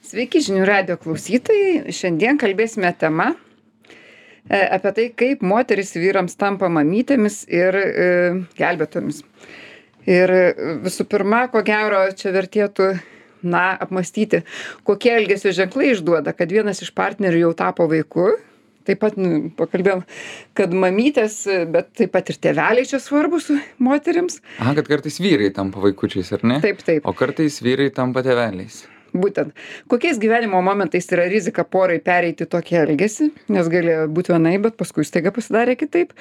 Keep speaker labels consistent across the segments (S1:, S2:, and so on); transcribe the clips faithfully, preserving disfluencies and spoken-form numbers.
S1: Sveiki žinių radijo klausytojai. Šiandien kalbėsime tema e, apie tai, kaip moteris vyrams tampa mamytėmis ir e, gelbėtomis. Ir e, visų pirma, ko gero, čia vertėtų, na, apmastyti, kokie elgesio ženklai išduoda, kad vienas iš partnerių jau tapo vaiku. Taip pat nu, pakalbėjom, kad mamytės, bet taip pat ir tėveliai čia svarbus moterims.
S2: Aha, kad kartais vyrai tampa vaikučiais, ar ne?
S1: Taip, taip.
S2: O kartais vyrai tampa tėveliais.
S1: Būtent. Kokiais gyvenimo momentais yra rizika porai pereiti tokį elgesį, nes galėjo būti vienai, bet paskui staiga pasidarė kitaip.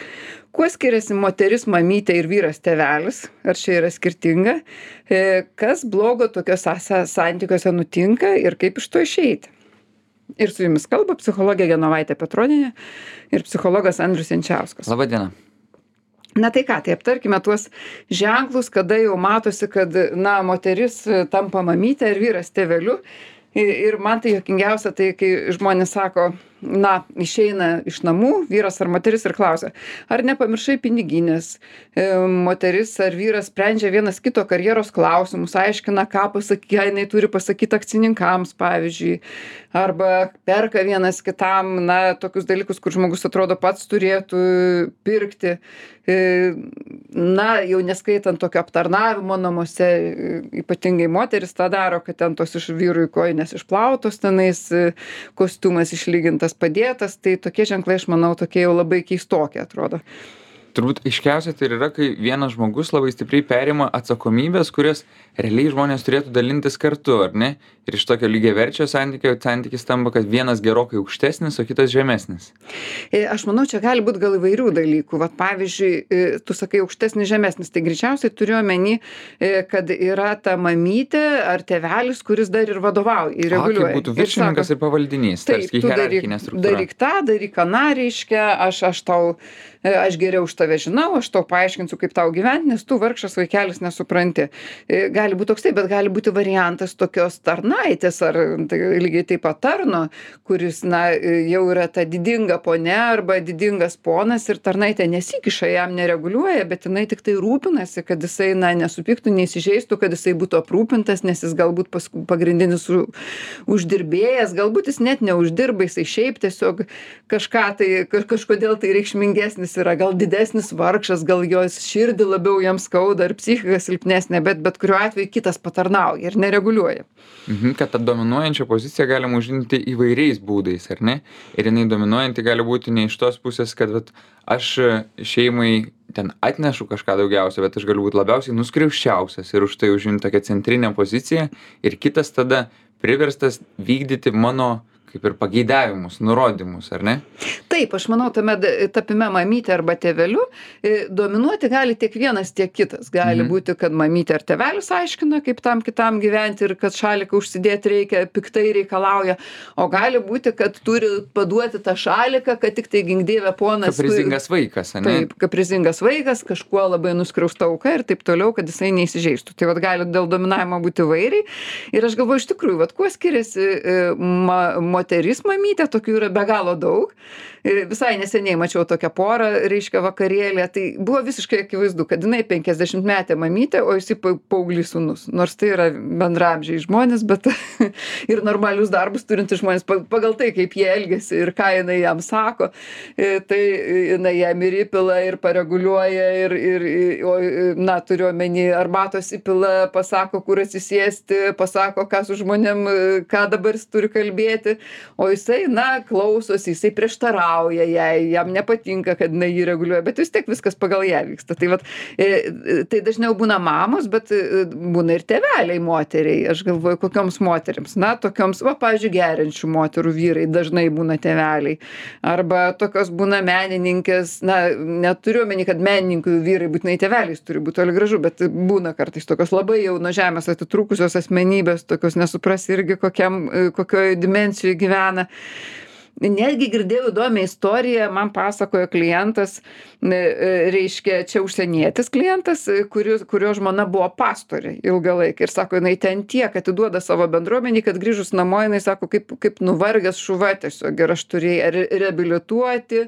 S1: Kuo skiriasi moteris mamytė ir vyras tėvelis, ar čia yra skirtinga, e, kas blogo tokiuose santykiuose nutinka ir kaip iš to išeiti. Ir su jumis kalba psichologė Genovaitė Petronienė ir psichologas Andrius Jančiauskas.
S2: Labą dieną.
S1: Na tai ką, tai aptarkime tuos ženklus, kada jau matosi, kad, na, moteris tampa mamytė ir vyras tėveliu. Ir, ir man tai juokingiausia, tai kai žmonės sako, na, išeina iš namų vyras ar moteris ir klausia, ar nepamiršai piniginės. E, moteris ar vyras sprendžia vienas kito karjeros klausimus, aiškina, ką pasakė, jinai turi pasakyti akcininkams, pavyzdžiui, arba perka vienas kitam, na, tokius dalykus, kur žmogus atrodo pats turėtų pirkti. E, na, jau neskaitant tokio aptarnavimo namuose, ypatingai moteris tą daro, kad ten tos iš vyrų kojinės išplautos, tenais kostiumas išlygintas, padėtas, tai tokie ženklai, aš manau, tokie jau labai keistokie atrodo.
S2: Turbūt aiškiausia tai yra, kai vienas žmogus labai stipriai perima atsakomybės, kurias realiai žmonės turėtų dalintis kartu, ar ne? Ir iš tokio lygiaverčio santykio santykis tampa, kad vienas gerokai aukštesnis, o kitas žemesnis.
S1: E, aš manau, čia gali būti gal įvairių dalykų. Vat pavyzdžiui, e, tu sakai aukštesnis, žemesnis, tai greičiausiai turiu omeny, e, kad yra ta mamytė ar tėvelis, kuris dar ir vadovauja, ir reguliuoja.
S2: A, kaip būtų viršininkas ir, ir pavaldinys,
S1: taip,
S2: tarsi
S1: tu daryk,
S2: hierarchinė struktūra.
S1: daryk tą, daryk aną, reiškia, aš, aš tau, e, aš geriau už tave žinau, aš tau paaiškinsiu, kaip tau gyventi, nes tu vargšas vaikelis nesupranti. E, gali būti toks taip, bet gali būti variantas tokios tarnaitės ar tai, lygiai taip pat tarno, kuris, na, jau yra ta didinga ponia arba didingas ponas ir tarnaitė nesikiša, jam nereguliuoja, bet jinai tik tai rūpinasi, kad jisai, na, nesupyktų, neįsižeistų, kad jisai būtų aprūpintas, nes jis galbūt pas, pagrindinis u, uždirbėjas, galbūt jis net neuždirba, jisai šiaip tiesiog kažką tai, kažkodėl tai reikšmingesnis yra, gal didesnis vargšas, gal jos širdį labiau jam skauda ar psichika silpnesnė, bet bet kuriuo atveju kitas patarnauja ir nereguliuoja.
S2: Mhm, kad tą dominuojančią poziciją galima užimti įvairiais būdais, ar ne? Ir jinai dominuojanti gali būti ne iš tos pusės, kad vat, aš šeimai ten atnešu kažką daugiausia, bet aš galiu būti labiausiai nuskriauščiausias ir už tai užimti tokią centrinę poziciją ir kitas tada priverstas vykdyti mano kaip ir pageidavimus, nurodymus, ar ne?
S1: Taip, aš manau, tame tapime mamytė arba tėveliu dominuoti gali tiek vienas, tiek kitas. Gali mhm. būti, kad mamytė ar tėvelis aiškina, kaip tam kitam gyventi ir kad šaliką užsidėti reikia, piktai reikalauja, o gali būti, kad turi paduoti tą šaliką, kad tik tai gingdėvė ponas.
S2: Kaprizingas vaikas, ne?
S1: Taip, kaprizingas vaikas, kažkuo labai nuskriausta auka ir taip toliau, kad jisai neįsižeistų. Tai vat gali dėl dominavimo būti vairiai. Ir aš galvoju, iš tikrųjų, vat kuo skiriasi ma, moteris mamytė, tokių yra be galo daug. Visai neseniai mačiau tokią porą, reiškia vakarėlė, tai buvo visiškai akivaizdu, kad jinai penkiasdešimtmetė mamytė, o jisai paauglys sūnus. Nors tai yra bendraamžiai žmonės, bet ir normalius darbus turintys žmonės pagal tai, kaip jie elgiasi ir ką jinai jam sako, tai jinai jam ir įpila, ir pareguliuoja, ir, ir o, na, turiu omeny, arbatos įpila, pasako, kur atsisėsti, pasako, ką su žmonėm, ką dabar jis turi kalbėti, o jisai, na, klausosi, jisai prieštarauja jai, jam nepatinka, kad jinai jį reguliuoja, bet vis tiek viskas pagal ją vyksta. Tai, vat, tai dažniau būna mamos, bet būna ir tėveliai moteriai. Aš galvoju, kokioms moteriams. Na, tokioms, va, pavyzdžiui, geriančių moterų vyrai dažnai būna tėveliai. Arba tokios būna menininkės, na, neturiu omeny, kad menininkų vyrai būtinai tėveliais turi būti toli gražu, bet būna kartais tokios labai jau nuo žemės atitrūkusios asmenybės, tokios nesupras irgi kokiam, kokioj dimensijoj gyvena. Netgi girdėjau įdomią istoriją, man pasakojo klientas, e, e, reiškia, čia užsienietis klientas, e, kurio, kurio žmona buvo pastorė ilgą laiką. Ir sako, jinai ten tiek atiduoda savo bendruomenį, kad grįžus namo, jinai sako, kaip, kaip nuvargęs šuva tiesiog. Ir aš turėjau re reabilituoti,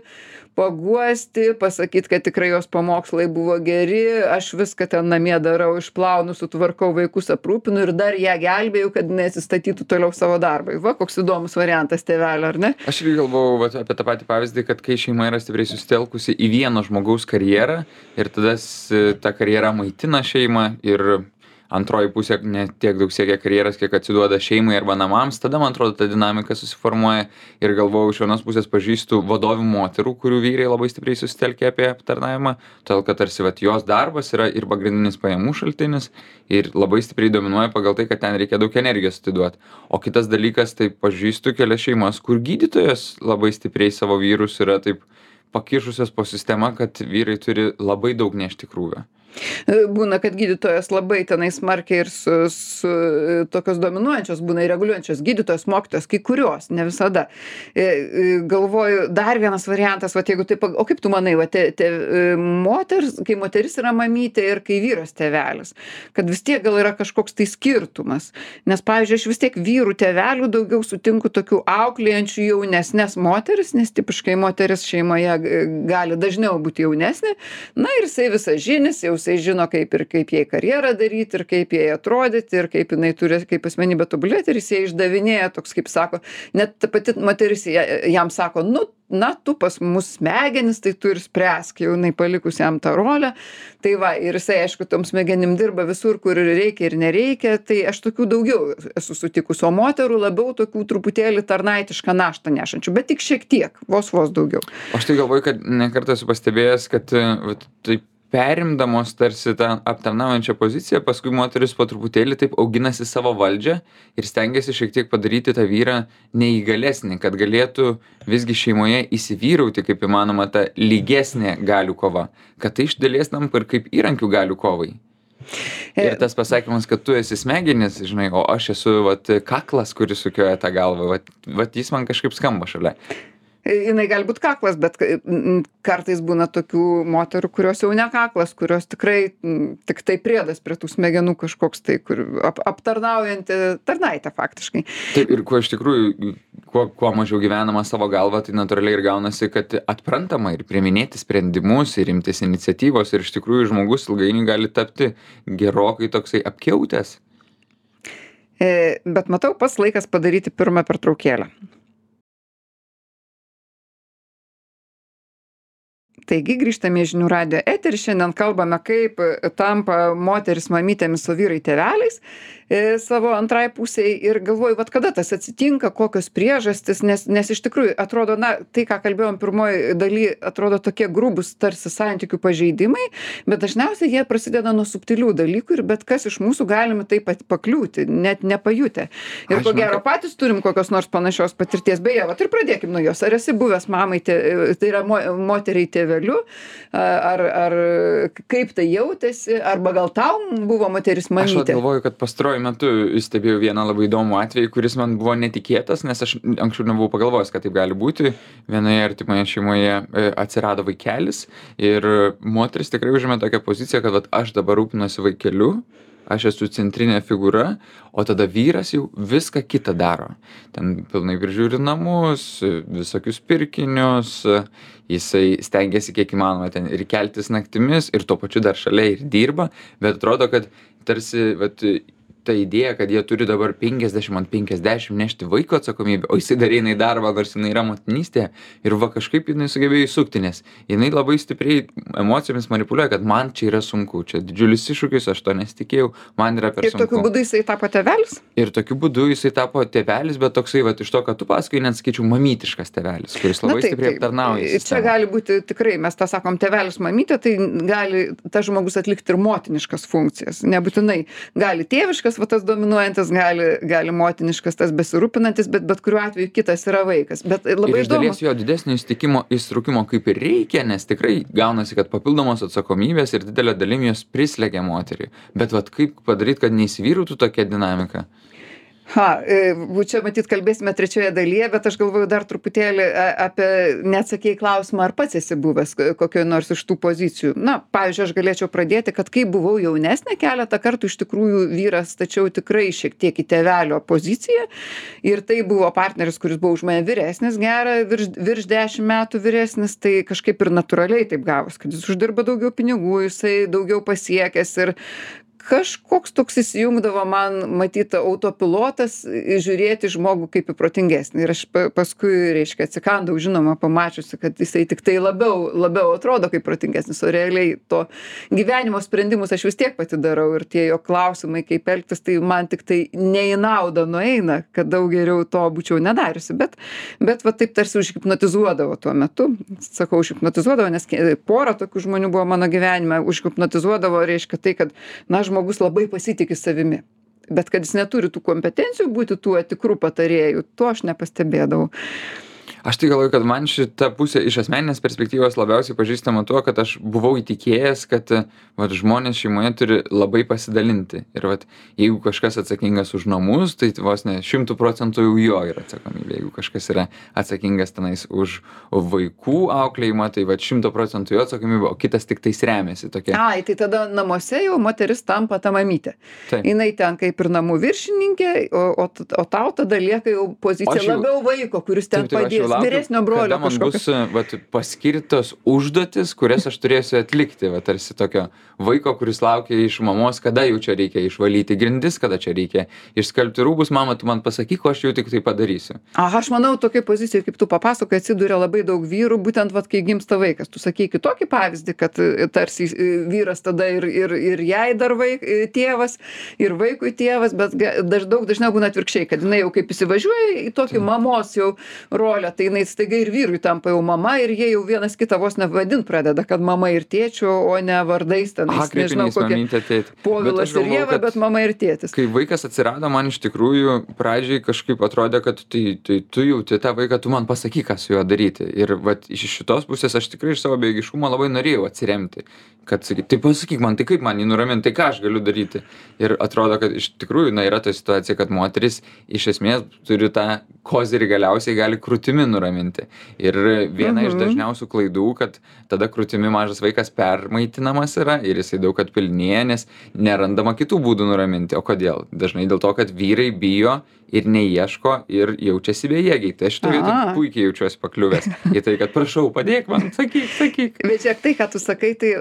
S1: paguosti, pasakyti, kad tikrai jos pamokslai buvo geri, aš viską ten namie darau, išplaunu, sutvarkau vaikus, aprūpinu ir dar ją gelbėjau, kad neatsistatytų toliau savo darbą. Va, koks įdomus variantas tėvelio, ar ne?
S2: Aš irgi galvojau vat, apie tą patį pavyzdį, kad kai šeima yra stipriai susitelkusi į vieno žmogaus karjerą ir tada s- ta karjera maitina šeimą ir antroji pusė ne tiek daug siekia karjeros, kiek atsiduoda šeimai arba namams, tada man atrodo ta dinamika susiformuoja ir galvojau, iš vienos pusės pažįstu vadovių moterų, kurių vyrai labai stipriai susitelkia apie aptarnavimą, todėl kad tarsi vat, jos darbas yra ir pagrindinis pajamų šaltinis ir labai stipriai dominuoja pagal tai, kad ten reikia daug energijos atiduoti. O kitas dalykas, tai pažįstu kelias šeimas, kur gydytojas labai stipriai savo vyrus yra taip pakišusios po sistema, kad vyrai turi labai daug nešti krūvio.
S1: Būna, kad gydytojas labai tenai smarkiai ir su, su e, tokios dominuojančios, būna ir reguliuojančios gydytojos, mokytojos, kai kurios, ne visada. E, e, Galvoju, dar vienas variantas, va, jeigu taip, o kaip tu manai, va, te, te, e, moters, kai moteris yra mamytė ir kai vyras tėvelis, kad vis tiek gal yra kažkoks tai skirtumas. Nes, pavyzdžiui, aš vis tiek vyrų tėvelių daugiau sutinku tokių auklėjančių jaunesnės moteris, nes tipiškai moteris šeimoje e, gali dažniau būti jaunesnė. Na ir jisai visažinis, jau jisai žino, kaip ir kaip jai karjerą daryti, ir kaip jai atrodyti, ir kaip jinai turi, kaip asmenybė tobulėti, ir jis jai išdavinėja toks, kaip sako, net ta pati moteris ja- jam sako, nu, na, tu pas mus smegenis, tai tu ir spręsk, jau jinai palikus jam tą rolę. Tai va, ir jisai, aišku, tom smegenim dirba visur, kur reikia ir nereikia, tai aš tokių daugiau esu sutikus, o moterų labiau tokių truputėlį tarnaitišką naštą nešančių, bet tik šiek tiek, vos vos daugiau.
S2: Aš tai galvoju, kad ne kartą esu pastebėjęs, kad e, vat, taip perimdamos tarsi tą aptarnaujančią poziciją, paskui moteris po truputėlį taip auginasi savo valdžią ir stengiasi šiek tiek padaryti tą vyrą neįgalesnį, kad galėtų visgi šeimoje įsivyrauti kaip įmanoma ta lygesnė galių kova, kad tai iš dalies tampa ir kaip įrankių galių kovai. Ir tas pasakymas, kad tu esi smegenis, žinai, o aš esu vat, kaklas, kuris sukioja tą galvą, vat, vat jis man kažkaip skamba šalia.
S1: Jinai gali būt kaklas, bet mm, kartais būna tokių moterų, kurios jau ne kaklas, kurios tikrai mm, tik tai priedas prie tų smegenų kažkoks tai, kur ap, aptarnaujanti tarnaitė faktiškai.
S2: Taip, ir kuo iš tikrųjų, kuo, kuo mažiau gyvenama savo galvą, tai natūraliai ir gaunasi, kad atprantama ir priiminėti sprendimus, ir imtis iniciatyvos, ir iš tikrųjų žmogus ilgainiui gali tapti gerokai toksai apkiautęs.
S1: E, bet matau, pats laikas padaryti pirmą pertraukėlę. Taigi grįžtame į žinių radijo eterį, šiandien kalbame, kaip tampa moteris mamytėmis, o vyrai tėveliais e, savo antrai pusiai ir galvoju, vat kada tas atsitinka, kokios priežastis, nes, nes iš tikrųjų atrodo, na, tai, ką kalbėjom pirmoji daly, atrodo tokie grubus tarsi santykių pažeidimai, bet dažniausiai jie prasideda nuo subtilių dalykų ir bet kas iš mūsų galime taip pat pakliūti, net nepajutę. Ir
S2: Aš
S1: ko
S2: žinau,
S1: gero
S2: kad-
S1: patys turim kokios nors panašios patirties. Beje, vat ir pradėkim nuo jos. Ar esi buvęs mamai, tė, tai yra mo, moteriai tėveliu, ar, ar kaip tai jautėsi, arba gal tau buvo moteris
S2: Aš vat
S1: mamytė?
S2: galvoju, kad pastaruoju metu stebėjau vieną labai įdomų atvejį, kuris man buvo netikėtas, nes aš anksčiau nebuvau pagalvojęs, kad taip gali būti. Vienoje artimoje šeimoje e, atsirado vaikelis ir moteris tikrai užėmė tokią poziciją, kad vat, aš dabar rūpinuosi vaikeliu, aš esu centrinė figūra, o tada vyras jau viską kitą daro. Ten pilnai prižiūri namus, visokius pirkinius, jisai stengiasi kiek įmanoma ten ir keltis naktimis, ir tuo pačiu dar šalia ir dirba, bet atrodo, kad tarsi vat, ta idėja, kad jie turi dabar penkiasdešimt ant penkiasdešimt nešti vaiko atsakomybę, o jisai dar eina į darbą, nors jinai yra motinystė, ir va kažkaip jinai sugebėjo įsukti, nes jinai labai stipriai emocijomis manipuliuoja, kad man čia yra sunku, čia didžiulis iššūkis, aš to nesitikėjau, man yra per
S1: Ir
S2: sunku.
S1: tokiu būdu jisai tapo tėvelis?
S2: Ir tokiu būdu jisai tapo tėvelis, bet toksai, va, iš to, kad tu pasakai, net sakyčiau, mamytiškas tėvelis, kuris labai stipriai aptarnauja
S1: Čia
S2: sistemą.
S1: gali būti tikrai, mes tą sakom, tėvelis mamytė, tai gali tas žmogus atlikti ir motiniškas funkcijas. Nebūtinai gali tėviškas, va tas dominuojantis, gali, gali motiniškas, tas besirūpinantis, bet bet kuriuo atveju kitas yra vaikas. Bet labai
S2: Ir iš
S1: įdomu.
S2: dalies jo didesnio įstikimo, įstrukimo kaip ir reikia, nes tikrai gaunasi, kad papildomos atsakomybės ir didelė dalim jos prislegia moterį. Bet vat kaip padaryti, kad neįsivyrautų tokia dinamika?
S1: Ha, e, čia matyt kalbėsime trečioje dalyje, bet aš galvoju dar truputėlį a, apie, neatsakėjai klausimą, ar pats esi buvęs kokioje nors iš tų pozicijų. Na, pavyzdžiui, aš galėčiau pradėti, kad kai buvau jaunesnė, keletą kartų iš tikrųjų vyras, tačiau tikrai šiek tiek į tėvelio poziciją. Ir tai buvo partneris, kuris buvo už mane vyresnis, gerą, virš, virš dešimt metų vyresnis, tai kažkaip ir natūraliai taip gavos, kad jis uždirba daugiau pinigų, jisai daugiau pasiekęs ir kažkoks toks įsijungdavo man, matyt, autopilotas žiūrėti žmogų kaip į protingesnį. Ir aš paskui, reiškia, atsikandau, žinoma, pamačiusi, kad jisai tik tai labiau, labiau atrodo kaip protingesnis, o realiai to gyvenimo sprendimus aš vis tiek pati darau ir tie jo klausimai, kaip elgtis, tai man tik tai ne į naudą nueina, kad daug geriau to būčiau nedariusi. Bet, bet va taip tarsi užhipnotizuodavo tuo metu. Sakau, užhipnotizuodavo, nes pora tokių žmonių buvo mano gyvenime. Užhipnotizuodavo, reiškia tai, kad, na, žmogus labai pasitiki savimi, bet kad jis neturi tų kompetencijų būti tuo tikrų patarėjų, to aš nepastebėdavau.
S2: Aš tai galvoju, kad man šita pusė iš asmeninės perspektyvos labiausiai pažįstama tuo, kad aš buvau įtikėjęs, kad vat, žmonės šeimoje turi labai pasidalinti. Ir vat, jeigu kažkas atsakingas už namus, tai vos ne šimtų procentų jau jo yra atsakomybė. Jeigu kažkas yra atsakingas tenais už vaikų auklėjimą, tai vat šimtų procentų jo atsakomybė, o kitas tik tais remiasi tokia.
S1: Ai, tai tada namuose jau moteris tampa ta mamytė.
S2: Taip.
S1: Jinai ten kaip ir namų viršininkė, o, o, o tau tada lieka jau pozicija
S2: jau,
S1: labiau vaiko, kuris ten
S2: taip, taip,
S1: padės.
S2: Laukiu,
S1: vyresnio brolio
S2: kada man
S1: kažkokio.
S2: bus vat, paskirtos užduotis, kurias aš turėsiu atlikti, vat, tarsi tokio vaiko, kuris laukia iš mamos, kada jau čia reikia išvalyti grindis, kada čia reikia išskalbti rūbus, mama, tu man pasakyk, o aš jau tik tai padarysiu.
S1: Aha, aš manau, tokiai pozicijai, kaip tu papasakoji, atsiduria labai daug vyrų, būtent vat, kai gimsta vaikas. Tu sakei kitokį pavyzdį, kad tarsi vyras tada ir, ir, ir jai dar vaik, tėvas, ir vaikui tėvas, bet daž, daug dažniau būna atvirkščiai, kad jinai jau kaip įsivažiuoja į tokį mamos jau rolę, tai jinai staiga ir vyrui tampa jau mama ir jie jau vienas kitą vos nevadint pradeda, kad mama ir tėčiu, o ne vardais ten.
S2: Aha,
S1: Nežinau, kokie Povilas ir Ieva, bet mama ir tėtis.
S2: Kai vaikas atsirado, man iš tikrųjų pradžiai kažkaip atrodė, kad tai, tai tu jauti tą vaiką, tu man pasakyk, ką su juo daryti. Ir vat, iš šitos pusės aš tikrai iš savo bejėgiškumo labai norėjau atsiremti. Kad sakyt, tai pasakyk man, tai kaip man jį nuraminti, tai ką aš galiu daryti. Ir atrodo, kad iš tikrųjų na, yra ta situacija, kad moteris iš esmės turi tą kozirį galiausiai gali krūtimi nuraminti. Ir viena mhm. iš dažniausių klaidų, kad tada krūtimi mažas vaikas permaitinamas yra ir jisai daug atpilnėja, nes nerandama kitų būdų nuraminti. O kodėl? Dažnai dėl to, kad vyrai bijo ir neieško ir jaučiasi bejėgiai. Tai aš šitoj vietoj puikiai jaučiuosi pakliuvęs į tai, kad prašau, padėk man, sakyk, sakyk.
S1: Bet žiūrėk, tai, ką tu sakai, tai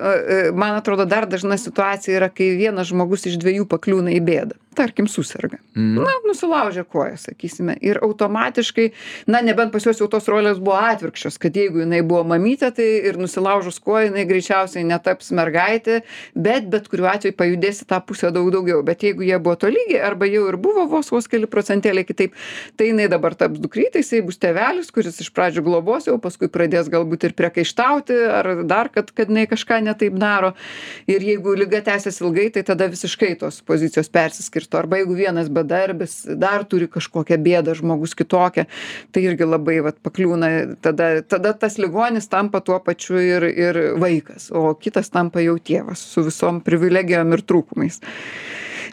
S1: man atrodo dar dažna situacija yra, kai vienas žmogus iš dviejų pakliūna į bėdą. Tarkim, susirga. Mm. Na, nusilaužia koją, sakysime. Ir automatiškai, na, nebent pas juos jau tos rolės buvo atvirkščios, kad jeigu jinai buvo mamytė, tai ir nusilaužus koją, jinai greičiausiai netaps mergaitė, bet bet kuriuo atveju pajudėsi tą pusę daug daugiau. Bet jeigu jie buvo tolygiai, arba jau ir buvo vos vos keli procentėliai kitaip, tai jinai dabar taps dukrytė, jisai bus tėvelis, kuris iš pradžių globos, jau paskui pradės galbūt ir priekaištauti, ar dar, kad, kad jinai kažką netaip daro. Ir jeigu liga tęsiasi ilgai, tai tada visiškai tos pozicijos persiskirsto. Arba jeigu vienas bedarbis dar turi kažkokią bėdą, žmogus kitokią, tai irgi labai vat, pakliūna, tada, tada tas ligonis tampa tuo pačiu ir, ir vaikas, o kitas tampa jau tėvas su visom privilegijom ir trūkumais.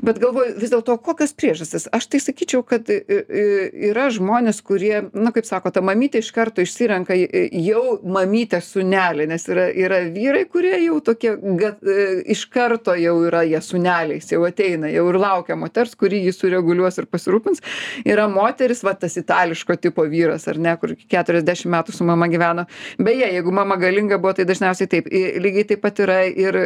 S1: Bet galvoju, vis dėlto, kokios priežastys? Aš tai sakyčiau, kad yra žmonės, kurie, na, kaip sako, ta mamytė iš karto išsirenka jau mamytę sūnelį, nes yra, yra vyrai, kurie jau tokie, gat, iš karto jau yra jie sūneliais, jau ateina, jau ir laukia moters, kuri jį sureguliuos ir pasirūpins. Yra moteris, va, tas itališko tipo vyras, ar ne, kur keturiasdešimt metų su mama gyveno. Beje, jeigu mama galinga buvo, tai dažniausiai taip. Lygiai taip pat yra ir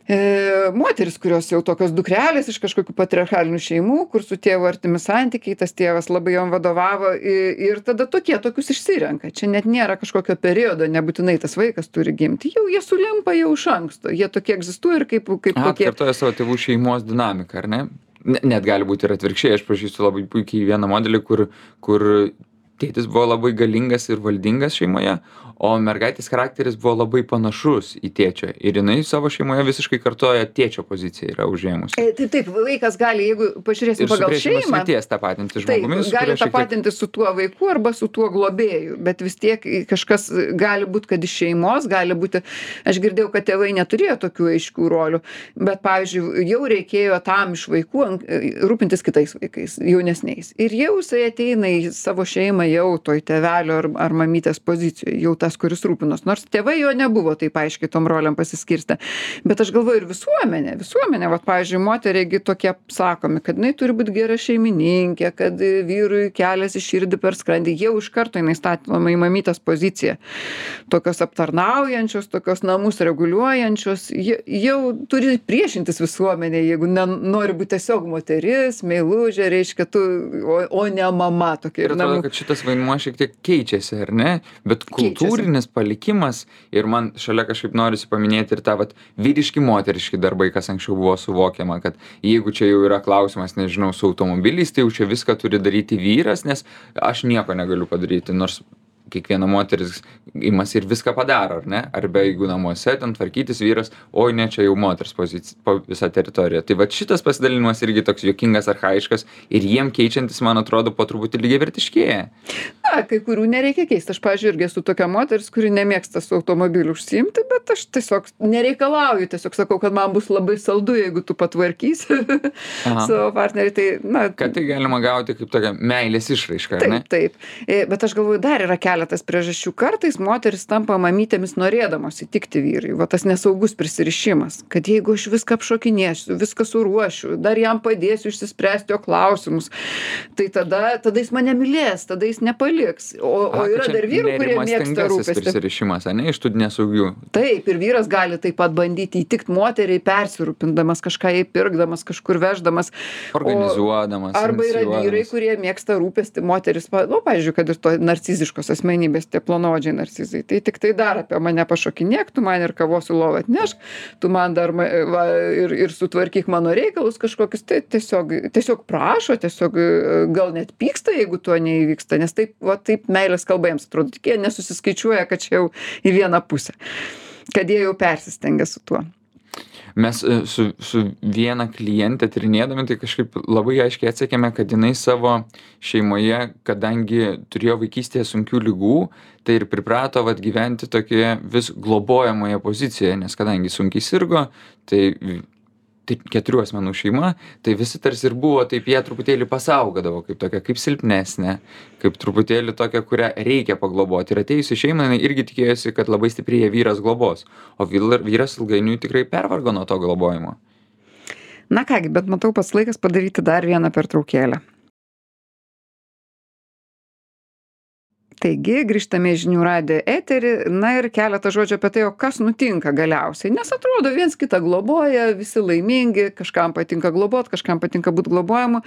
S1: E, moteris, kurios jau tokios dukrelės iš kažkokių patriarchalinių šeimų, kur su tėvu artimi santykiai, tas tėvas labai jom vadovavo ir, ir tada tokie tokius išsirenka. Čia net nėra kažkokio periodo, nebūtinai tas vaikas turi gimti. Jau jie sulimpa jau iš anksto, jie tokie egzistuoja ir kaip, kaip
S2: Aha,
S1: tokie.
S2: Atkartoja savo tėvų šeimos dinamiką, ar ne? Net gali būti ir atvirkščiai. Aš pažįstu labai puikiai vieną modelį, kur, kur tėtis buvo labai galingas ir valdingas šeimoje, o mergaitės charakteris buvo labai panašus į tėčio. Ir jinai savo šeimoje visiškai kartoja tėčio poziciją yra užėmusi.
S1: E, tai taip, vaikas gali, jeigu pažiūrėsim
S2: Ir su
S1: pagal
S2: priešingos
S1: šeimą,
S2: lyties tapatinti
S1: taip,
S2: žmogumi, su
S1: gali
S2: kuriuo šiek tiek
S1: tapatinti su tuo vaiku arba su tuo globėju, bet vis tiek kažkas gali būti, kad iš šeimos gali būti, aš girdėjau, kad tėvai neturėjo tokių aiškių rolių, bet, pavyzdžiui, jau reikėjo tam iš vaikų an- rūpintis kitais vaikais, jaunesniais. Ir jau jisai ateina į savo šeimą jau toj tėvelio ar, ar mamytės pozicijoje, jau tas, kuris rūpinos. Nors tėvai jo nebuvo taip aiškiai tom roliam pasiskirstę. Bet aš galvoju ir visuomenė, visuomenė, vat, pavyzdžiui, moteriai tokie sakomi, kad jinai turi būti gera šeimininkė, kad vyrui kelias į širdį per skrandį, jau iš karto jinai statoma į mamytės poziciją. Tokios aptarnaujančios, tokios namus reguliuojančios, jie- jau turi priešintis visuomenė, jeigu nori būti tiesiog moteris, meilužė, reiškia tu, o, o ne mama tokia.
S2: Ir atrodo, kad šitas vaidmuo šiek tiek keičiasi, ar ne? Bet kultūrinis palikimas, ir man šalia kažkaip norisi paminėti ir tą vat, vyriški moteriški darbai, kas anksčiau buvo suvokiama, kad jeigu čia jau yra klausimas, nežinau, su automobiliais, tai jau čia viską turi daryti vyras, nes aš nieko negaliu padaryti, nors kiekviena moteris imasi ir viską padaro, ar ne? Arba jeigu namuose ten tvarkytis vyras, oi ne, čia jau moters pozicija, po visą teritoriją. Tai va šitas pasidalinimas irgi toks juokingas, archaiškas ir jiem keičiantis, man atrodo, po truputį lygiavertiškėja.
S1: Na, kai kurių nereikia keisti. Aš, pavyzdžiui, irgi esu tokia moteris, kuri nemėgsta su automobiliu užsiimti, bet aš tiesiog nereikalauju, tiesiog sakau, kad man bus labai saldu, jeigu tu patvarkysi
S2: Aha.
S1: savo partnerį. Tai, na,
S2: Kad tai galima gauti kaip tokia meilės išraiška, ar ne?
S1: taip, taip. E, Bet aš galvoju, dar yra keletas priežasčių. Kartais moteris tampa mamytėmis norėdamos įtikti vyrui. Va tas nesaugus prisirišimas. Kad jeigu aš viską apšokinėsiu, viską suruošiu, dar jam padėsiu išsispręsti jo klausimus, tai tada, tada jis mane mylės, tada jis nepaliks. O, o
S2: A,
S1: yra
S2: kad čia
S1: dar vyrų, kurie mėgsta
S2: nerimastingasis
S1: rūpestį.
S2: prisirišimas, ar ne, iš tų nesaugių.
S1: Taip, ir vyras gali taip pat bandyti įtikti moteriai, persirūpindamas, kažką jai pirkdamas, kažkur veždamas.
S2: Organizuodamas,
S1: O, arba yra
S2: inicijuodamas.
S1: vyrai, kurie mėgsta rūpestį moteris, pa- nu, pavyzdžiui, kad ir to narciziškos asmenybės, tie plonodžiai narcizai. Tai tik tai dar apie mane pašokinėk, tu man ir kavos į lovą atnešk, tu man dar ma- va, ir, ir sutvarkyk mano reikalus kažkokius. Tai tiesiog, tiesiog prašo, tiesiog e, gal net pyksta, jeigu to neįvyksta, nes taip, va, taip meilės kalba jiems atrodo, tik jie nesusiskaičiuoja, kad čia jau į vieną pusę, kad jie jau persistengia su tuo.
S2: Mes e, su, su viena klientė tyrinėdami, tai kažkaip labai aiškiai atsekėme, kad jinai savo šeimoje, kadangi turėjo vaikystėje sunkių lygų, tai ir priprato vat, gyventi tokioje vis globojamoje pozicijoje, nes kadangi sunkiai sirgo, tai, tai keturių asmenų šeima, tai visi tarsi ir buvo, taip jie truputėlį pasaugodavo, kaip tokia, kaip silpnesnė, kaip truputėlį tokia, kurią reikia pagloboti. Ir atėjusi šeima, jinai irgi tikėjosi, kad labai stipriai vyras globos, o vyr- vyras ilgainiui tikrai pervargo nuo to globojimo.
S1: Na kągi, bet matau pats laikas padaryti dar vieną pertraukėlę. Taigi, grįžtame į žinių radijo eterį, na ir keletą žodžių apie tai, o kas nutinka galiausiai. Nes atrodo, viens kitą globoja, visi laimingi, kažkam patinka globot, kažkam patinka būti globojamu,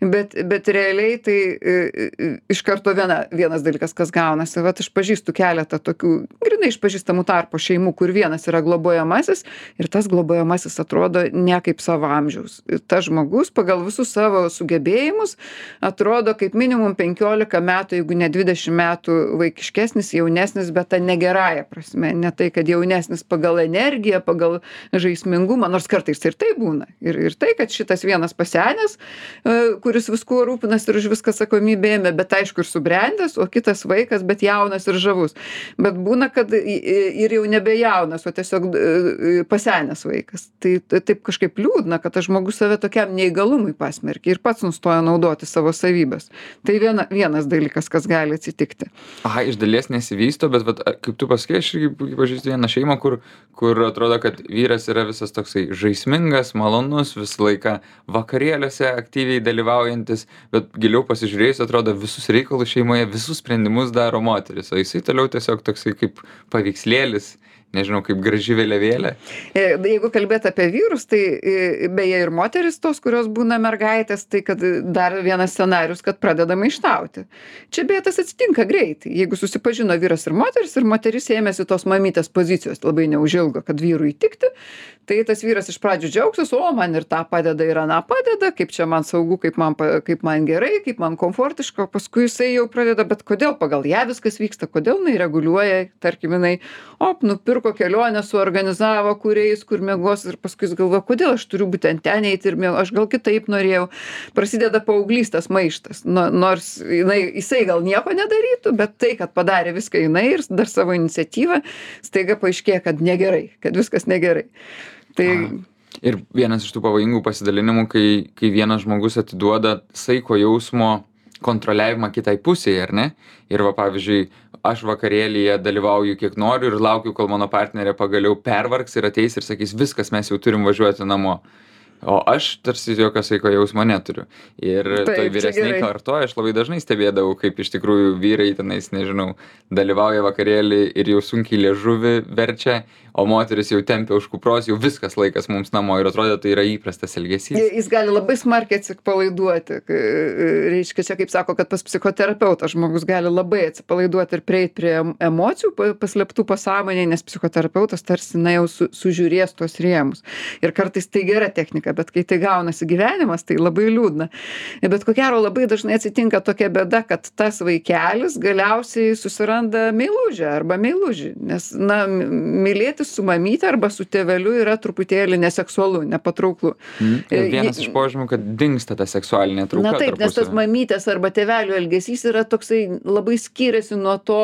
S1: bet, bet realiai tai e, e, iš karto viena, vienas dalykas, kas gaunasi. Vat aš pažįstu keletą tokių, grinai išpažįstamų tarpo šeimų, kur vienas yra globojamasis ir tas globojamasis atrodo ne kaip savo amžiaus. Tas žmogus pagal visus savo sugebėjimus atrodo kaip minimum penkiolika metų, jeigu ne dvidešimt metų vaikiškesnis, jaunesnis, bet ta negerąja prasme. Ne tai, kad jaunesnis pagal energiją, pagal žaismingumą, nors kartais ir tai būna. Ir, ir tai, kad šitas vienas pasenęs, e, kuris viskuo rūpinas ir už viską atsakomybę ėmė, bet aišku ir subrendęs, o kitas vaikas, bet jaunas ir žavus. Bet būna, kad i- i- ir jau nebe jaunas, o tiesiog e, pasenęs vaikas. Tai tai taip kažkaip liūdna, kad tas žmogus save tokiam neįgalumui pasmerkia ir pats nustoja naudoti savo savybės. Tai viena, vienas dalykas, kas gali atsitikti.
S2: Aha, iš dalies nesivysto, bet vat, kaip tu pasakei, aš irgi puikiai pažįstu vieną šeimą, kur, kur atrodo, kad vyras yra visas toksai žaismingas, malonus, visą laiką vakarėliuose aktyviai dalyvaujantis, bet giliau pasižiūrėjus, atrodo, visus reikalus šeimoje, visus sprendimus daro moteris, o jisai toliau tiesiog toksai kaip paveikslėlis, nežinau, kaip graži vėliavėlė.
S1: E, Jeigu kalbėt apie vyrus, tai e, beje ir moteris tos, kurios būna mergaitės, tai kad dar vienas scenarius, kad pradeda maištauti. Čia beje tas atsitinka greitai. Jeigu susipažino vyras ir moteris ir moteris ėmėsi tos mamytės pozicijos labai neužilgo, kad vyrui įtikti, tai tas vyras iš pradžių džiaugsis, o man ir tą padeda ir aną padeda, kaip čia man saugu, kaip man, pa- kaip man gerai, kaip man komfortiška, o paskui jisai jau pradeda, bet kodėl pagal ją viskas vyksta, kodėl jinai reguliuoja, tarkim, jinai, op, nupirko kelionę, suorganizavo, kur eis, kur miegos ir paskui jis galvoja, kodėl aš turiu būtent ten eiti ir miegoti, aš gal kitaip norėjau. Prasideda paauglystės maištas, no, nors jinai, jisai gal nieko nedarytų, bet tai, kad padarė viską jinai ir dar savo iniciatyvą, staiga paaiškėja, kad negerai, kad viskas negerai. Tai
S2: Ir vienas iš tų pavojingų pasidalinimų, kai, kai vienas žmogus atiduoda saiko jausmo kontroliavimą kitai pusėje, ar ne? Ir va, pavyzdžiui, aš vakarėlyje dalyvauju kiek noriu ir laukiu, kol mano partnerė pagaliau pervargs ir ateis ir sakys, viskas, mes jau turim važiuoti namo. O aš tarsi jokio saiko jausmo neturiu. Ir
S1: Taip,
S2: toj
S1: čia
S2: vyresniai
S1: gerai.
S2: kartoje aš labai dažnai stebėdavau, kaip iš tikrųjų vyrai tenais, nežinau, dalyvauja vakarėlį ir jau sunkiai liežuvį verčia, o moteris jau tempia už kupros, jau viskas laikas mums namo ir atrodo, tai yra įprastas elgesys.
S1: jis gali labai smarkiai atsipalaiduoti. Kai, reiškia, čia kaip sako, kad pas psichoterapeutą žmogus gali labai atsipalaiduoti ir prieiti prie em- emocijų pa- paslėptų pasąmonėje, nes psichoterapeutas tarsi na jau su, sužiūrės tuos rėmus. Ir kartais tai gera technika, bet kai tai gaunasi gyvenimas, tai labai liūdna. Bet ko gero labai dažnai atsitinka tokia bėda, kad tas vaikelis galiausiai susiranda meilužę arba meilužį. Nes, na, m- mylėtis su mamyte arba su tėveliu yra truputėlį neseksualu, nepatrauklu.
S2: Mm. Ir
S1: E,
S2: vienas
S1: ji-
S2: iš požymių, kad dingsta ta seksualinė trauka.
S1: Na taip, nes tas
S2: tarpusavy.
S1: mamytės arba tėvelių elgesys yra toksai labai skiriasi nuo to,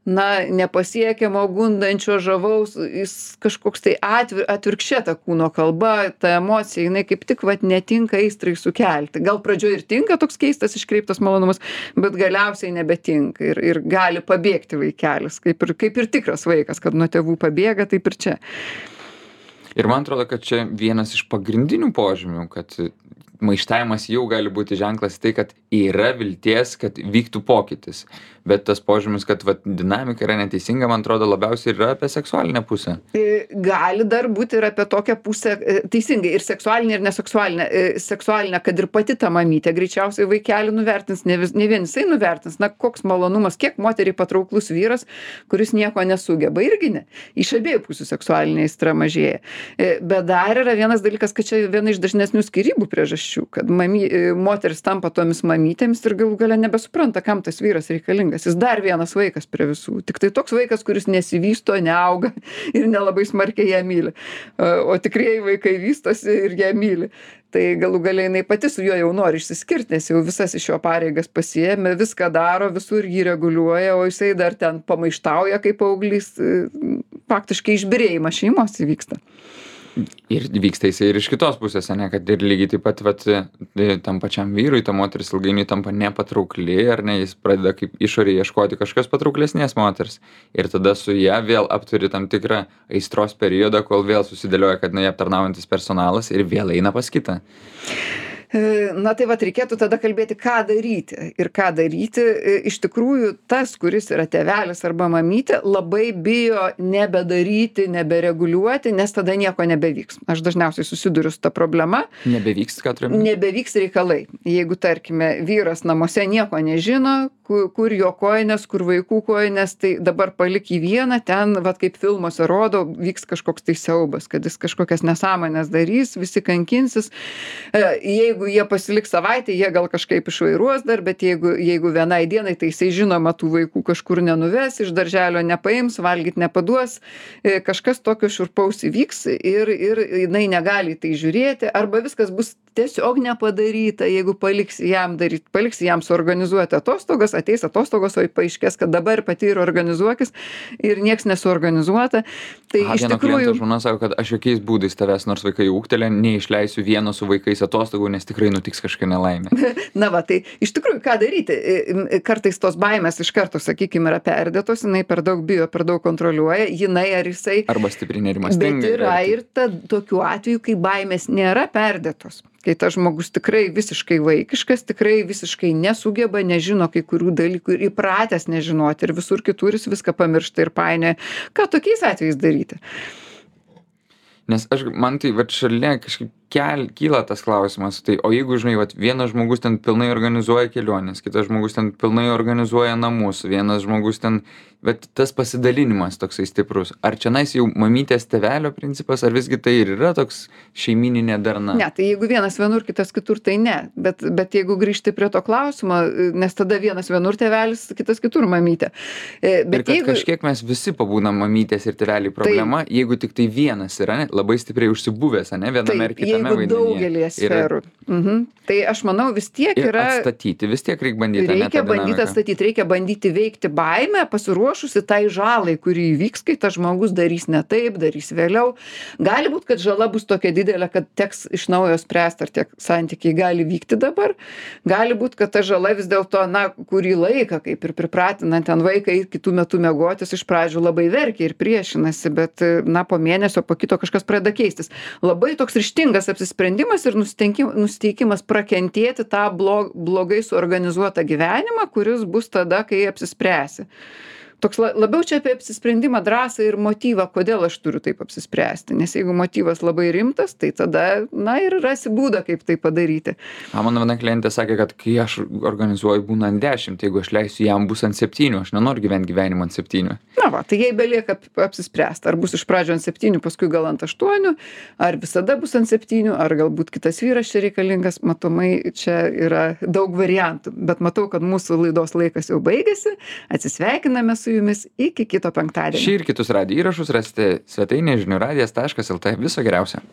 S1: na, nepasiekiamo, gundančio, žavaus, jis kažkoks tai atvir, atvirkščia ta kūno kalba, ta emocija, jinai kaip tik vat netinka aistrai sukelti. Gal pradžioje ir tinka toks keistas iškreiptas malonumas, bet galiausiai nebetinka ir, ir gali pabėgti vaikelis, kaip ir, kaip ir tikras vaikas, kad nuo tėvų pabėga, taip ir čia.
S2: Ir man atrodo, kad čia vienas iš pagrindinių požymių, kad maištavimas jau gali būti ženklas tai, kad yra vilties, kad vyktų pokytis. Bet tas požymis, kad vat, dinamika yra neteisinga, man atrodo, labiausiai yra apie seksualinę pusę.
S1: E, Gali dar būti ir apie tokią pusę, e, teisingai, ir seksualinę, ir neseksualinę. E, Seksualinę, kad ir pati ta mamytė greičiausiai vaikelį nuvertins, ne, vis, ne vien jisai nuvertins. Na, koks malonumas, kiek moteriai patrauklus vyras, kuris nieko nesugeba, irgi ne. Iš abiejų pusių seksualinė aistra mažėja. E, Bet dar yra vienas dalykas, kad čia viena iš dažnesnių skyrybų priežasčių, kad mamy, e, moteris tampa tomis mamytėmis ir galų gale nebesupranta, kam tas vyras reikalingas. Jis dar vienas vaikas prie visų. Tik tai toks vaikas, kuris nesivysto, neauga ir nelabai smarkiai ją myli. O tikrieji vaikai vystosi ir ją myli. Tai galų galiai jinai pati su juo jau nori išsiskirti, nes jau visas iš jo pareigas pasiėmė, viską daro, visur jį reguliuoja, o jisai dar ten pamaištauja kaip paauglys. Faktiškai išbyrėjimas šeimos įvyksta.
S2: Ir vyksta jisai ir iš kitos pusės, ne, kad ir lygiai taip pat vat, tam pačiam vyrui, ta moteris ilgainiui tampa nepatraukli, ar ne, jis pradeda kaip išorėje ieškoti kažkas patrauklesnės moters. Ir tada su ją vėl apturi tam tikrą aistros periodą, kol vėl susidėlioja, kad na, aptarnaujantis personalas ir vėl eina pas kitą.
S1: Na tai vat reikėtų tada kalbėti, ką daryti. Ir ką daryti, iš tikrųjų, tas, kuris yra tėvelis arba mamytė, labai bijo nebedaryti, nebereguliuoti, nes tada nieko nebevyks. Aš dažniausiai susiduriu su ta problema.
S2: Nebevyks, ką turime?
S1: Nebevyks reikalai. Jeigu, tarkime, vyras namuose nieko nežino, kur, kur jo kojinės, kur vaikų kojinės, tai dabar palik į vieną, ten, vat kaip filmuose rodo, vyks kažkoks tai siaubas, kad jis kažkokias nesąmonės darys, visi kankinsis. Jeigu Jeigu jie pasiliks savaitę, jie gal kažkaip išvairuos dar, bet jeigu, jeigu vienai dienai, tai jisai žinoma tų vaikų kažkur nenuves, iš darželio nepaims, valgyt nepaduos, kažkas tokio šiurpaus įvyks ir, ir jinai negali tai žiūrėti, arba viskas bus tiesiog nepadaryta, jeigu paliks jam daryti, paliks jam suorganizuoti atostogas, ateis atostogos, o paaiškės, kad dabar pati ir organizuokis ir nieks nesuorganizuota. Tai
S2: A,
S1: iš
S2: vieno
S1: tikrųjų...
S2: kliento žmona sako, kad aš jokiais būdais tavęs, nors vaikai ūgtelė, neišleisiu vieno su vaikais atostogų, nes tikrai nutiks kažkokia nelaimė.
S1: Na va, tai iš tikrųjų, ką daryti? Kartais tos baimės iš karto, sakykime, yra perdėtos, jinai per daug bijo, per daug kontroliuoja, jinai ar jisai...
S2: Arba stipriai nerimastinga.
S1: Bet yra ir ta, tokių atvejų, kai baimės nėra perdėtos. kai tas žmogus tikrai visiškai vaikiškas, tikrai visiškai nesugeba, nežino kai kurių dalykų ir įpratęs nežinoti ir visur kitur jis viską pamiršta ir painioja. Ką tokiais atvejais daryti?
S2: Nes aš, man tai, vat šalia kažkaip kel, kyla tas klausimas, tai o jeigu, žinai, vat vienas žmogus ten pilnai organizuoja keliones, kitas žmogus ten pilnai organizuoja namus, vienas žmogus ten, bet tas pasidalinimas toksai stiprus, ar čionais jau mamytės tėvelio principas, ar visgi tai ir yra toks šeimininė darna?
S1: Ne, tai jeigu vienas vienur, kitas kitur, tai ne, bet, bet jeigu grįžti prie to klausimo, nes tada vienas vienur tėvelis, kitas kitur mamytė. Bet
S2: ir kad
S1: jeigu...
S2: kažkiek mes visi pabūnam mamytės ir tėveliai problema, tai... jeigu tik tai vienas yra, ne, labai stipriai užsibuvęs, ne, viename ir kitame
S1: jeigu daugelį sferų. Ir... Mhm. Tai aš manau vis tiek yra...
S2: atstatyti, vis tiek reikia bandyti.
S1: Reikia bandyti atstatyti, reikia bandyti veikti baimę, pasiruošusi tai žalai, kuri įvyks, kai tas žmogus darys ne taip, darys vėliau. Gali būti, kad žala bus tokia didelė, kad teks iš naujo spręsti, ar tie santykiai gali vykti dabar. Gali būti, kad ta žala vis dėlto, na, kurį laiką, kaip ir pripratinant ten vaiką į kitų metų miegotis, iš pradžių labai verkia ir priešinasi, bet, na, po mėnesio, po kito kažkas pradeda keistis. Labai toks ryžtingas apsisprendimas ir nusiteikimas prakentėti tą blog, blogai suorganizuotą gyvenimą, kuris bus tada, kai apsispręsi. Toks labiau čia apie apsisprendimą, drąsą ir motyvą, kodėl aš turiu taip apsispręsti. Nes jeigu motyvas labai rimtas, tai tada, na, ir rasi būdą, kaip tai padaryti.
S2: A, mano viena klientė sakė, kad kai aš organizuoju būna ant dešimt, jeigu aš leisiu jam bus ant septynių, aš nenoriu gyventi gyvenimą ant septynių.
S1: Na va, tai jai belieka apsispręsti, ar bus iš pradžio ant septynių, paskui gal ant aštuonių, ar visada bus ant septynių, ar galbūt kitas vyras čia reikalingas, matomai čia yra daug variantų. Bet matau, kad mūsų laidos laikas jau baigėsi, atsisveikiname su jumis iki kito penktadienio.
S2: Šį ir kitus radijo įrašus rasite svetainėje žinių radijas taškas lt. Viso geriausio.